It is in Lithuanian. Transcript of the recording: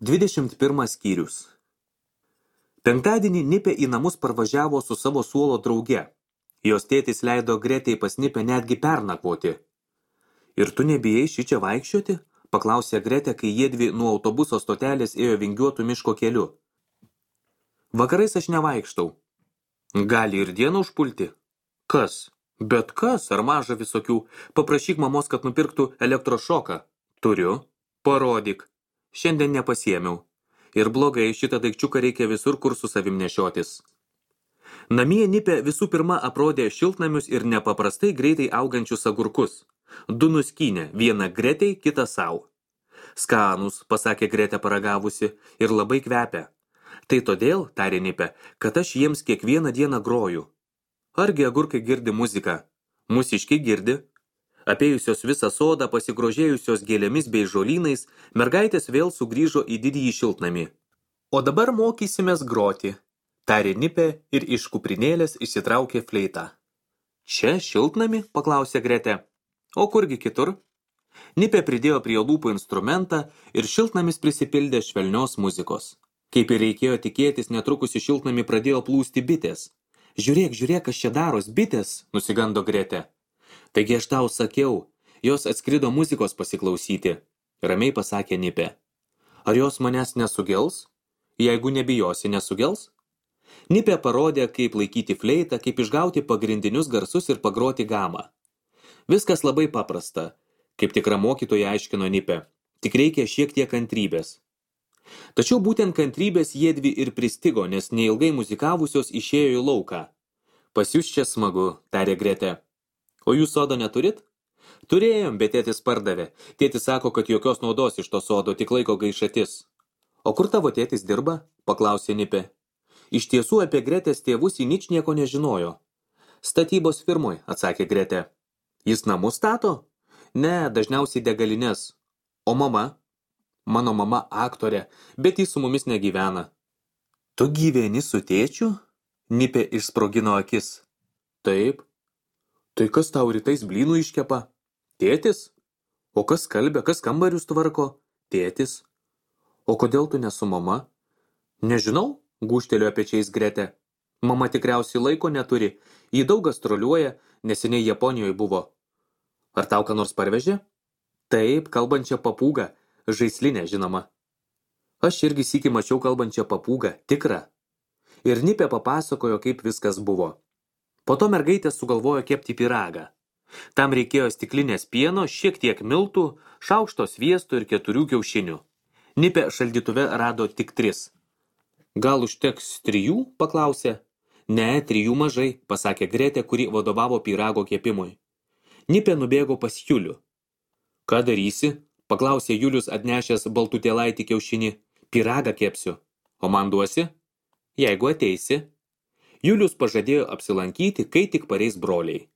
21 skyrius. Penktadienį Nipė į namus parvažiavo su savo suolo drauge. Jos tėtis leido Gretei pas Nipę netgi pernakvoti. Ir tu nebijai šičia vaikščioti? Paklausė Gretė, kai jiedvi nuo autobuso stotelės ėjo vingiuotų miško keliu. Vakarais aš nevaikštau. Gali ir dieną užpulti. Kas? Bet kas, ar maža visokių? Paprašyk mamos, kad nupirktų elektrošoką. Turiu. Parodyk. Šiandien nepasiėmiau. Ir blogai, šitą daikčiuką reikia visur, kur su savim nešiotis. Namie Nipė visų pirma aprodė šiltnamius ir nepaprastai greitai augančius agurkus. Du nuskynė, vieną Gretei, kitą sau. Skanus, pasakė Gretė paragavusi, ir labai kvepia. Tai todėl, tarė Nipė, kad aš jiems kiekvieną dieną groju. Argi agurkai girdi muziką? Mūsiškiai girdi. Apėjusios visą sodą, pasigrožėjusios gėlėmis bei žolynais, mergaitės vėl sugrįžo į didįjį šiltnamį. O dabar mokysimės groti, tarė Nipė ir iš kuprinėlės išsitraukė fleitą. Čia šiltnamį? Paklausė Gretė. O kurgi kitur? Nipė pridėjo prie lūpų instrumentą ir šiltnamis prisipildė švelnios muzikos. Kaip ir reikėjo tikėtis, netrukus į šiltnamį pradėjo plūsti bitės. Žiūrėk, kas čia daros, bitės, nusigando Gretė. Taigi aš tau sakiau, jos atskrido muzikos pasiklausyti, ramiai pasakė Nipė. Ar jos manęs nesugels? Jeigu nebijosi, nesugels? Nipė parodė, kaip laikyti fleitą, kaip išgauti pagrindinius garsus ir pagroti gamą. Viskas labai paprasta, kaip tikra mokytoja aiškino Nipė, tik reikia šiek tiek kantrybės. Tačiau būtent kantrybės jiedvi ir pristigo, nes neilgai muzikavusios išėjo į lauką. Pas jūs čia smagu, tarė Gretė. O jūs sodo neturit? Turėjom, bet tėtis pardavė. Tėtis sako, kad jokios naudos iš to sodo, tik laiko gaišatis. O kur tavo tėtis dirba? Paklausė Nipė. Iš tiesų apie Gretės tėvus ji ničnieko nežinojo. Statybos firmoj, atsakė Gretė. Jis namus stato? Ne, dažniausiai degalines. O mama? Mano mama aktorė, bet jis su mumis negyvena. Tu gyveni su tėčiu? Nipė išsprogino akis. Taip. Tai kas tau rytais blynų iškepa? Tėtis? O kas skalbia, kas kambarius tvarko? Tėtis. O kodėl tu ne su mama? Nežinau, gūžtelėjo pečiais Gretė. Mama tikriausiai laiko neturi, jį daug gastroliuoja, neseniai Japonijoje buvo. Ar tau ką nors parvežė? Taip, kalbančią papūgą, žaislinę žinoma. Aš irgi sykį mačiau kalbančią papūgą, tikrą. Ir Nipė papasakojo, kaip viskas buvo. Po to mergaitė sugalvojo kepti pyragą. Tam reikėjo stiklinės pieno, šiek tiek miltų, šaukšto sviesto ir 4 kiaušinių. Nipė šaldytuve rado tik 3. Gal užteks 3? Paklausė. Ne, 3 mažai, pasakė Gretė, kuri vadovavo pyrago kepimui. Nipė nubėgo pas Julių. Ką darysi? Paklausė Julius atnešęs baltutėlaitį kiaušinį. Pyragą kepsiu. O man duosi? Jeigu ateisi. Julius pažadėjo apsilankyti, kai tik pareis broliai.